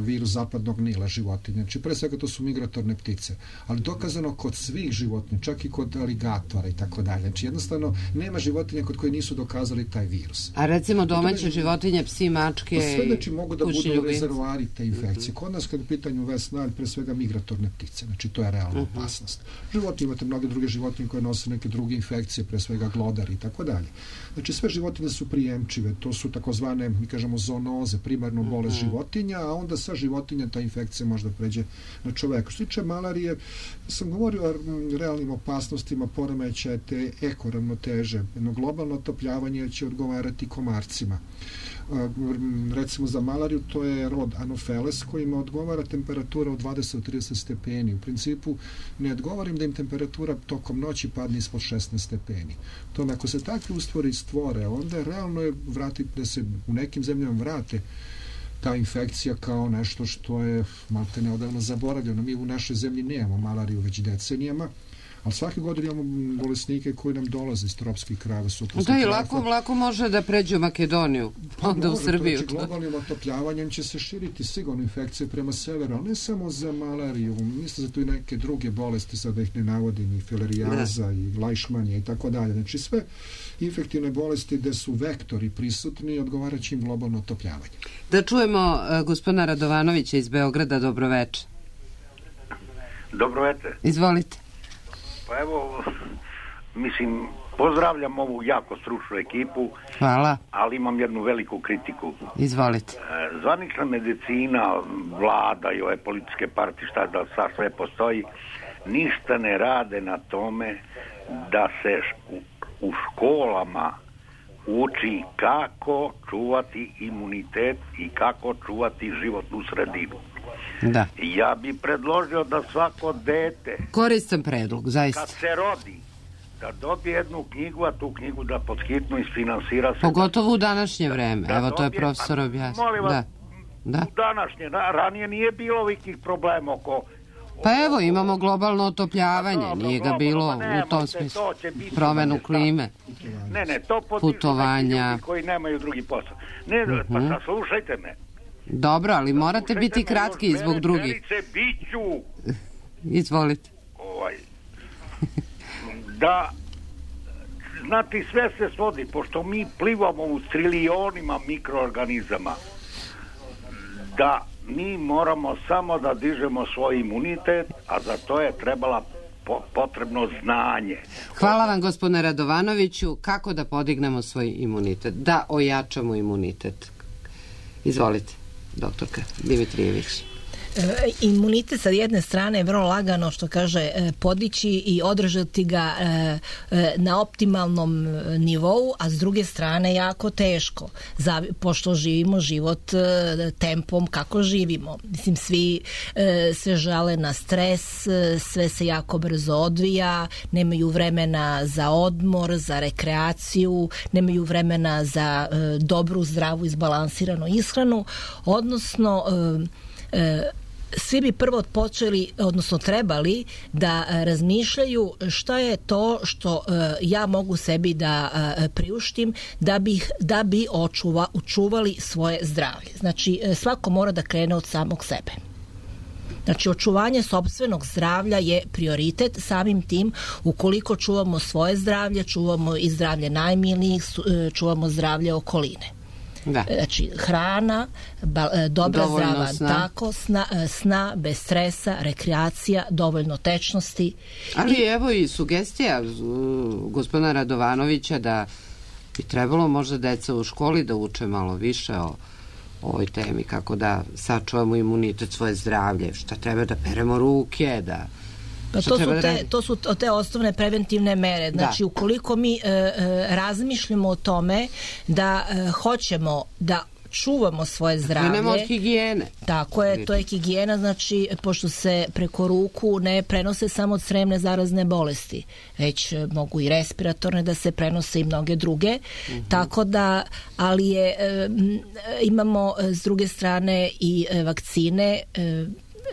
virus zapadnog Nila životinja, znači, pre svega to su migratorne ptice. Ali dokazano kod svih životinja, čak i kod aligatora i tako dalje. Znači, jednostavno, nema životinja kod koje nisu dokazali taj virus. A recimo domaće životinje, psi, mačke, sve znači mogu da budu rezervoari te infekcije. Kod nas kad je u pitanju vesna, pre svega migratorne ptice, znači to je realna opasnost. Životinje, imate mnoge druge životinje koje nose neke druge infekcije, pre svega glodari i tako dalje. Znači sve životinje su prijemčive, to su takozvane, mi kažemo, zoonoze, primarno bolest životinja, a onda sa životinja ta infekcija možda pređe na čoveka. Što tiče malarije, sam govorio o realnim opasnostima, poremećaja te ekoravnoteže. Jedno globalno otopljavanje će odgovarati komarcima. Recimo za malariju to je rod Anopheles kojima odgovara temperatura od 20 do 30 stepeni. U principu ne odgovorim da im temperatura tokom noći padne ispod 16 stepeni. To ako se takvi stvore, onda realno je da se u nekim zemljama vrate ta infekcija kao nešto što je malte neodavno zaboravljeno. Mi u našoj zemlji nemamo malariju već decenijama, ali svake godine imamo bolesnike koji nam dolaze iz tropskih krajeva. Da, i lako može da pređu Makedoniju, onda u Srbiju. Znači, globalnim otopljavanjem će se širiti sigurno infekcije prema severu, ali ne samo za malariju, mislim za tu i neke druge bolesti, sad da ih ne navodim, i filarijaza, i lajšmanja i tako dalje. Znači, sve infektivne bolesti gde su vektori prisutni odgovarajući im globalno otopljavanje. Da čujemo gospodina Radovanovića iz Beograda. Dobroveče. Dobroveče. Izvolite. Pa evo, mislim, pozdravljam ovu jako stručnu ekipu. Hvala. Ali imam jednu veliku kritiku. Izvolite. Zvanična medicina, vlada i ove političke partije, šta da sad sve postoji, ništa ne rade na tome da se u školama uči kako čuvati imunitet i kako čuvati životnu sredinu. Da. Ja bi predložio da svako dete, koristan predlog, zaista, kad se rodi, da dobije jednu knjigu, a tu knjigu da podhitno isfinansira se. Pogotovo u današnje vreme. Evo, to je profesor objasnio. Molim vas, u današnje, ranije nije bilo ovih problema oko... Pa evo, imamo globalno otopljavanje, nije ga bilo u tom smislu. Promenu klime, putovanja. Koji nemaju drugi posao. Ne, pa saslušajte me. Dobro, ali morate biti kratki zbog drugih. Izvolite. Da, znati, sve se svodi, pošto mi plivamo u trilionima mikroorganizama, da mi moramo samo da dižemo svoj imunitet, a za to je potrebno znanje. Hvala vam, gospodine Radovanoviću. Kako da podignemo svoj imunitet? Da ojačamo imunitet. Izvolite, doktorka Dimitrijević. Imunitet sa jedne strane je vrlo lagano, što kaže, podići i održati ga na optimalnom nivou, a s druge strane jako teško, pošto živimo život tempom kako živimo. Mislim, svi se žale na stres, sve se jako brzo odvija, nemaju vremena za odmor, za rekreaciju, nemaju vremena za dobru, zdravu, izbalansiranu ishranu, odnosno svi bi prvo počeli, odnosno trebali da razmišljaju šta je to što ja mogu sebi da priuštim da bi očuvali svoje zdravlje. Znači, svako mora da krene od samog sebe. Znači, očuvanje sopstvenog zdravlja je prioritet, samim tim ukoliko čuvamo svoje zdravlje, čuvamo i zdravlje najmilijih, čuvamo zdravlje okoline. Da. Znači, hrana, dobra zdrava tako, sna bez stresa, rekreacija, dovoljno tečnosti. Ali evo i sugestija gospodina Radovanovića da bi trebalo možda deca u školi da uče malo više o ovoj temi, kako da sačuvamo imunitet, svoje zdravlje, šta treba da peremo ruke, da... Pa to su te osnovne preventivne mere. Znači, ukoliko mi razmišljamo o tome da hoćemo da čuvamo svoje zdravlje. Krenemo od higijene. Tako je, to je higijena, znači, pošto se preko ruku ne prenose samo crevne zarazne bolesti, već mogu i respiratorne da se prenose i mnoge druge. Tako da, ali imamo s druge strane i vakcine,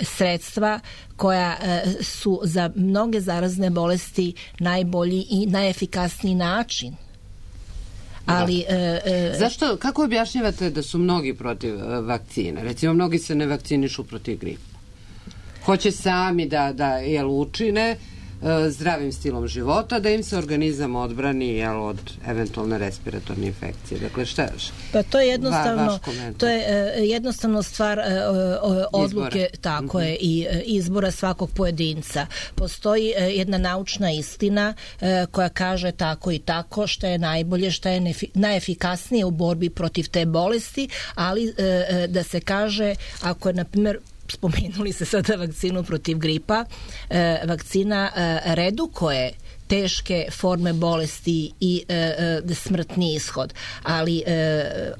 sredstva koja su za mnoge zarazne bolesti najbolji i najefikasniji način. Ali zašto, kako objašnjavate da su mnogi protiv vakcine? Recimo, mnogi se ne vakcinišu protiv gripa. Hoće sami da učine zdravim stilom života, da im se organizam odbrani od eventualne respiratorne infekcije. Dakle, šta je? Pa to je jednostavno stvar odluke, tako je, i izbora svakog pojedinca. Postoji jedna naučna istina koja kaže tako i tako šta je najbolje, šta je najefikasnije u borbi protiv te bolesti, ali da se kaže, ako je, na primjer, spomenuli se sada vakcinu protiv gripa, vakcina redukuje teške forme bolesti i smrtni ishod, ali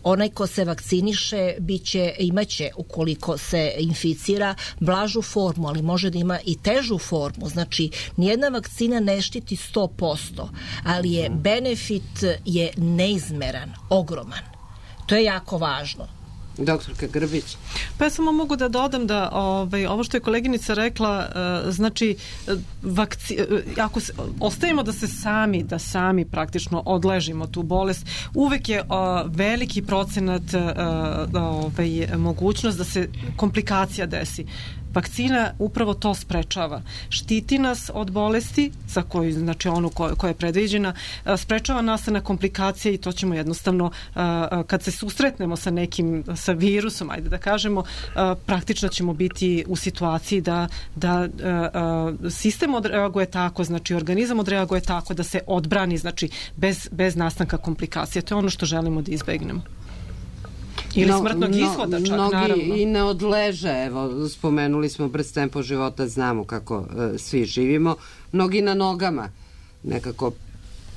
onaj ko se vakciniše imaće, ukoliko se inficira, blažu formu, ali može da ima i težu formu. Znači, nijedna vakcina ne štiti 100%, ali benefit je neizmeran, ogroman. To je jako važno. Doktorka Grbić. Pa ja samo mogu da dodam da ovo što je koleginica rekla, znači ako ostavimo da sami praktično odležimo tu bolest, uvek je veliki procenat mogućnost da se komplikacija desi. Vakcina upravo to sprečava. Štiti nas od bolesti za koju, znači onu koja je predviđena, sprečava nastanak komplikacije i to ćemo jednostavno, kad se susretnemo sa virusom, ajde da kažemo, praktično ćemo biti u situaciji da sistem odreaguje tako, znači organizam odreaguje tako da se odbrani, znači bez nastanka komplikacije. To je ono što želimo da izbegnemo. Ili smrtnog ishoda čak, naravno. Mnogi i ne odleže, evo, spomenuli smo brz tempo života, znamo kako svi živimo, mnogi na nogama, nekako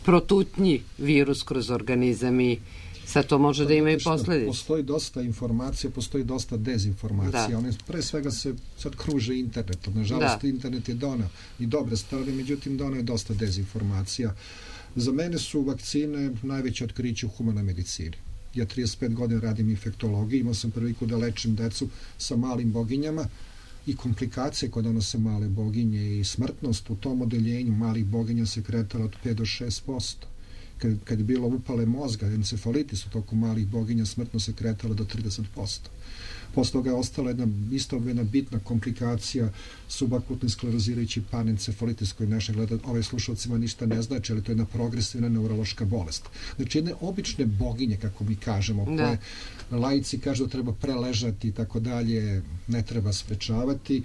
protutnji virus kroz organizam i sad to može da ima i posledice. Postoji dosta informacija, postoji dosta dezinformacija. One pre svega se sad kruže internetom. Nažalost, internet je donao i dobre strane, međutim donao je dosta dezinformacija. Za mene su vakcine najveće otkriće u humanoj medicini. Ja 35 godina radim infektologiju, imao sam priliku da lečim decu sa malim boginjama i komplikacije koje donose male boginje i smrtnost u tom odeljenju malih boginja se kretala od 5 do 6%. Kad je bilo upale mozga, encefalitis u toku malih boginja, smrtnost se kretala do 30%. Posle toga je ostala jedna bitna komplikacija, subakutni sklerozirajući panencefalitis koji naše slušalcima ništa ne znači, ali to je jedna progresivna neurološka bolest. Znači jedne obične boginje, kako mi kažemo, koje laici kažu da treba preležati i tako dalje, ne treba sprečavati,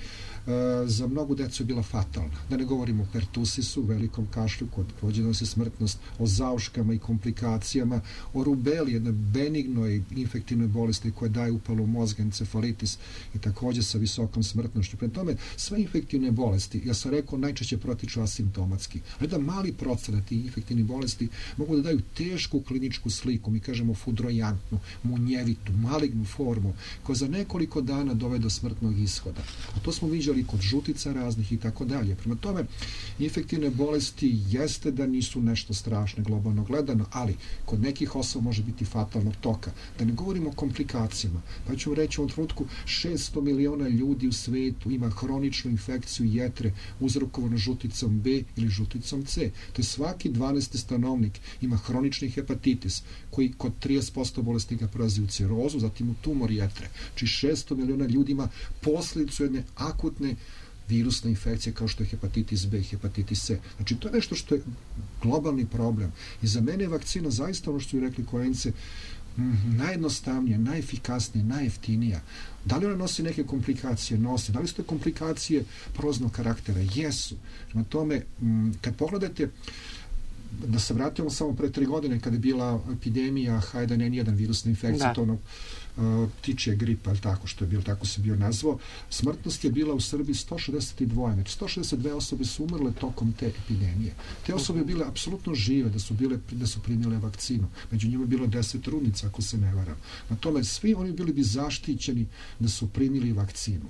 za mnogu decu je bila fatalna. Da ne govorimo o pertusisu, velikom kašlju, kod prođe se smrtnost, o zauškama i komplikacijama, o rubeli, jednoj benignoj infektivnoj bolesti koja daje upalu mozga, encefalitis i također sa visokom smrtnošću. Prema tome, sve infektivne bolesti, ja sam rekao, najčešće protiču asimptomatski. Ali da mali procenat tih infektivnih bolesti mogu da daju tešku kliničku sliku, mi kažemo fudrojantnu, munjevitu, malignu formu, koja za nekoliko dana dovede do smrtnog ishoda. A to smo viđali kod žutica raznih i tako dalje. Prema tome, infektivne bolesti jeste da nisu nešto strašno globalno gledano, ali kod nekih osoba može biti fatalnog toka. Da ne govorimo o komplikacijama. Pa ću reći u ovom trenutku 600 miliona ljudi u svetu ima hroničnu infekciju jetre uzrokovanu žuticom B ili žuticom C. To je svaki 12. stanovnik ima hronični hepatitis koji kod 30% bolesnika prelazi u cirozu, zatim u tumor jetre. Znači 600 miliona ljudi ima posljedicu jedne akutne virusne infekcije kao što je hepatitis B i hepatitis C. Znači to je nešto što je globalni problem. I za mene je vakcina zaista ono što su rekli koleginice najjednostavnije, najefikasnije, najjeftinija. Da li ona nosi neke komplikacije? Nosi. Da li su te komplikacije proznog karaktera? Jesu. Na tome, kad pogledate, da se vratimo samo pre 3 godine kada je bila epidemija H1N1 virusna infekcija, to ptičje gripa, tako što je bilo, tako se bio nazvao, smrtnost je bila u Srbiji 162, znači 162 osobe su umrle tokom te epidemije. Te osobe bile apsolutno žive, da su primile vakcinu. Među njima je bilo 10 trudnica, ako se ne varam. Na tome, svi oni bili bi zaštićeni da su primili vakcinu.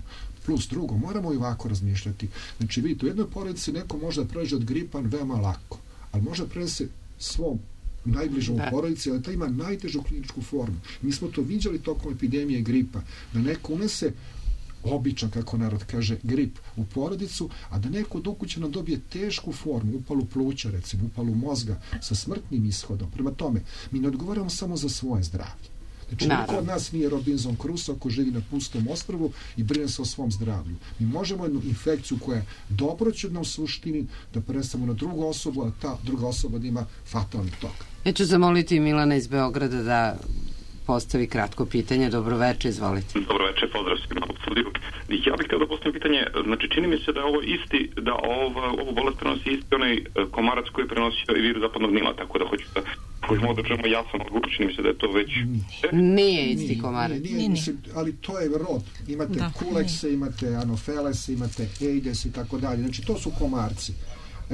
Plus drugo, moramo i ovako razmišljati. Znači, vidite, u jednoj porodici neko može da pređe od gripa veoma lako, ali može da prenese svom najbližom u porodici, ali ta ima najtežu kliničku formu. Mi smo to viđali tokom epidemije gripa, da neko unese običan, kako narod kaže, grip u porodicu, a da neko od ukućana dobije tešku formu, upalu pluća, recimo, upalu mozga sa smrtnim ishodom. Prema tome, mi ne odgovaramo samo za svoje zdravlje. Znači, niko od nas nije Robinson Crusoe ko živi na pustom ostrvu i brine se o svom zdravlju. Mi možemo jednu infekciju koja je dobroćudna u suštini da prenesemo na drugu osobu, a ta druga osoba da ima fatalni tok. Ja ću zamoliti Milana iz Beograda da postavi kratko pitanje. Dobroveče, izvolite. Dobroveče, pozdrav svima u studiju. Ja bih htio da postavim pitanje, znači čini mi se da je ovo isti, da ovu bolest prenosi isti onaj komarac koji je prenosio i virus zapadnog Nila, tako da hoću da možemo da čujemo jasan odgovor, čini mi se da je to već... Nije isti komarac. Nije, ali to je rod. Imate kulekse, imate anofelese, imate eides i tako dalje. Znači to su komarci.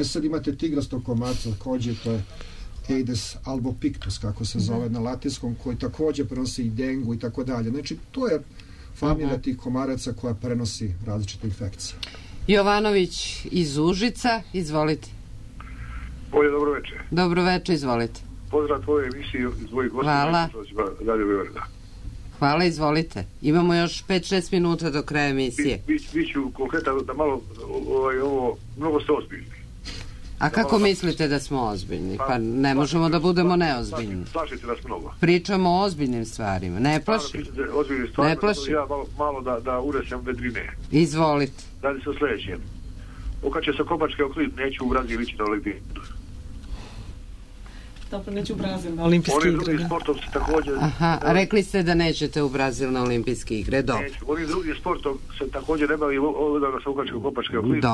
Sad imate tigrastog komarca, također to je Aedes albopictus, kako se zove na latinskom, koji također prenosi i dengu i tako dalje. Znači, to je familija tih komaraca koja prenosi različite infekcije. Jovanović iz Užica, izvolite. Bolje, dobroveče. Dobroveče, izvolite. Pozdrav tvoje emisije iz tvojih gostija. Hvala. Hvala, izvolite. Imamo još 5-6 minuta do kraja emisije. Biću konkretan da malo ovo, mnogo ste ozbiljni. A kako mislite da smo ozbiljni? Pa ne možemo da budemo neozbiljni. Plašite nas mnogo. Pričamo o ozbiljnim stvarima. Ne plašim. Ne plašim. Ja malo da unesem vedrine. Izvolite. Radi se o sljedećem. Okače se Kopački oklip, neću u Brazil ići na Olimpijadu. Dobro, neću u Brazil na olimpijske igre. Oni drugi sportom se također... Aha, rekli ste da nećete u Brazil na olimpijske igre, dobro. Neću, oni drugi sportom se također ne bavi odavno sa Kopački oklip.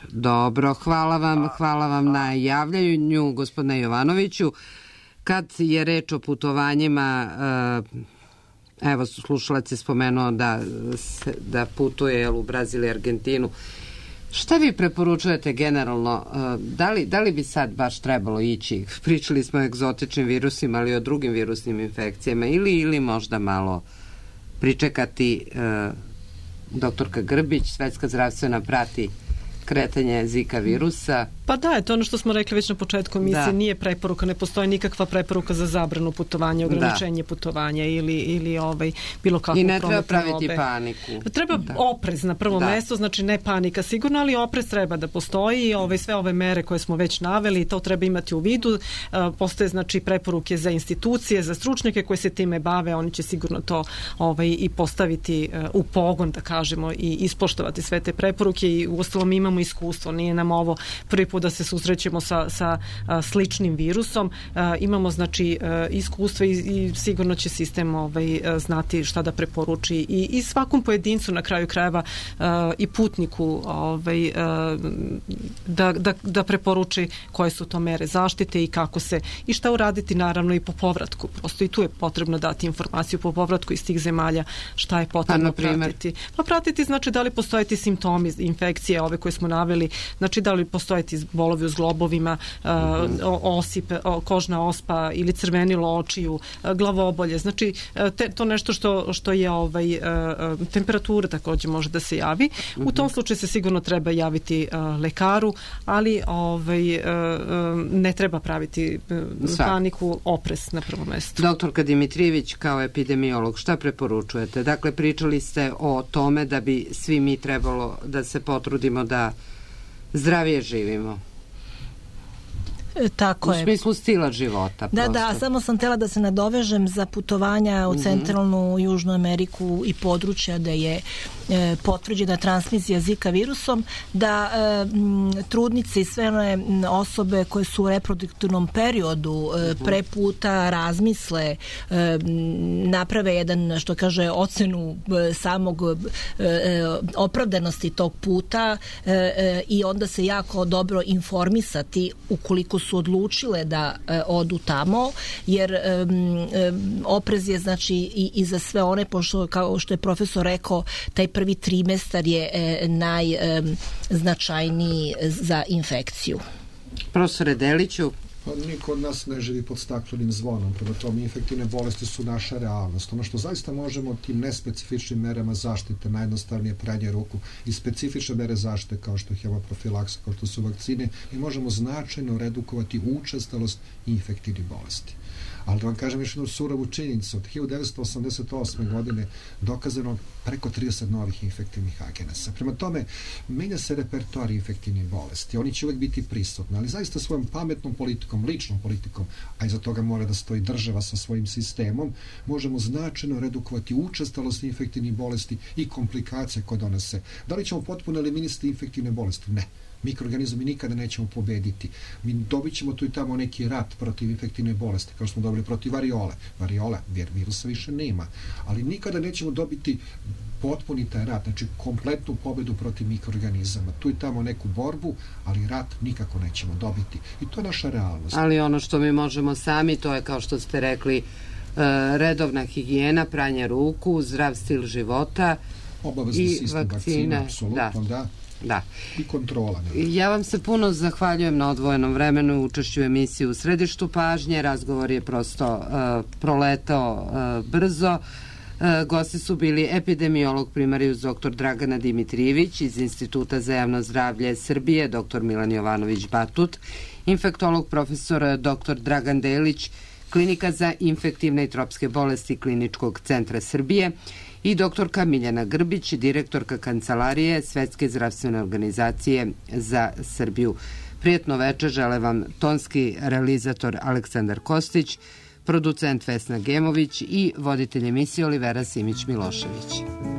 Dobro, hvala vam na javljanju, gospodine Jovanoviću. Kad je reč o putovanjima, evo, slušalac je spomenuo da putuje u Brazil i Argentinu. Šta vi preporučujete generalno? Da li bi sad baš trebalo ići? Pričali smo o egzotičnim virusima, ali i o drugim virusnim infekcijama. Ili možda malo pričekati, doktorka Grbić, Svetska zdravstvena prati kretanje Zika virusa. Pa da, to ono što smo rekli već na početku emisije, nije preporuka, ne postoji nikakva preporuka za zabranu putovanja, ograničenje putovanja ili bilo kakvu prometnu. I ne treba praviti paniku. Treba oprez na prvo mesto, znači ne panika sigurno, ali oprez treba da postoji, sve ove mere koje smo već naveli, to treba imati u vidu. Postoje znači preporuke za institucije, za stručnjake koji se time bave, oni će sigurno to i postaviti u pogon, da kažemo, i ispoštovati sve te preporuke i uostalom imamo iskustvo, nije nam ovo prvi put da se susrećemo sa sličnim virusom. Imamo znači iskustva i sigurno će sistem znati šta da preporuči i svakom pojedincu na kraju krajeva i putniku da preporuči koje su to mere zaštite i kako se i šta uraditi naravno i po povratku. Prosto i tu je potrebno dati informaciju po povratku iz tih zemalja šta je potrebno pratiti. Pa pratiti znači da li postoje ti simptomi infekcije ove koje smo naveli, znači da li postoje ti bolovi u zglobovima, osipe, kožna ospa ili crvenilo očiju, glavobolje. Znači, to nešto što je temperatura također može da se javi. U tom slučaju se sigurno treba javiti lekaru, ali ne treba praviti paniku, oprez na prvo mesto. Doktorka Dimitrijević, kao epidemiolog, šta preporučujete? Dakle, pričali ste o tome da bi svi mi trebalo da se potrudimo da zdravije živimo. Tako je. U smislu stila života. Da, samo sam htjela da se nadovežem za putovanja u centralnu Južnu Ameriku i područja da je potvrđena transmisija Zika virusom, da trudnice i sve one osobe koje su u reproduktivnom periodu pre puta razmisle, naprave jedan, što kaže, ocenu samog opravdanosti tog puta i onda se jako dobro informisati ukoliko su odlučile da odu tamo, jer oprez je znači i za sve one, pošto kao što je profesor rekao, taj prvi trimestar je najznačajniji za infekciju. Profesore Deliću, Pa niko od nas ne živi pod staklenim zvonom, prema tome infektivne bolesti su naša realnost. Ono što zaista možemo tim nespecifičnim merama zaštite, najjednostavnije pranje ruku i specifične mere zaštite kao što je hemoprofilaksa, kao što su vakcine, mi možemo značajno redukovati učestalost infektivnih bolesti. Ali da vam kažem još jednu surovu činjenicu, od 1988. godine dokazano preko 30 novih infektivnih agenasa. Prema tome, menja se repertoar infektivnih bolesti. Oni će uvek biti prisutni, ali zaista svojom pametnom politikom, ličnom politikom, a iza toga mora da stoji država sa svojim sistemom, možemo značajno redukovati učestalost infektivnih bolesti i komplikacije koje donose. Da li ćemo potpuno eliminisati infektivne bolesti? Ne. Mikroorganizmi nikada nećemo pobediti. Mi dobit ćemo tu i tamo neki rat protiv infektivne bolesti, kao što smo dobili protiv variole. Variola, virusa više nema. Ali nikada nećemo dobiti potpuni taj rat, znači kompletnu pobedu protiv mikroorganizama. Tu i tamo neku borbu, ali rat nikako nećemo dobiti. I to je naša realnost. Ali ono što mi možemo sami, to je, kao što ste rekli, redovna higijena, pranje ruku, zdrav stil života obavezni sistem vakcina, apsolutno, da. I kontrola. Ja vam se puno zahvaljujem na odvojenom vremenu i učešću u emisiji U središtu pažnje. Razgovor je prosto proletao brzo. Gosti su bili epidemiolog primarijus dr. Dragana Dimitrijević iz Instituta za javno zdravlje Srbije, dr. Milan Jovanović Batut, infektolog profesor dr. Dragan Delić, Klinika za infektivne i tropske bolesti Kliničkog centra Srbije i doktorka Miljana Grbić, direktorka Kancelarije Svetske zdravstvene organizacije za Srbiju. Prijetno večer žele vam tonski realizator Aleksandar Kostić, producent Vesna Gemović i voditelj emisije Olivera Simić-Milošević.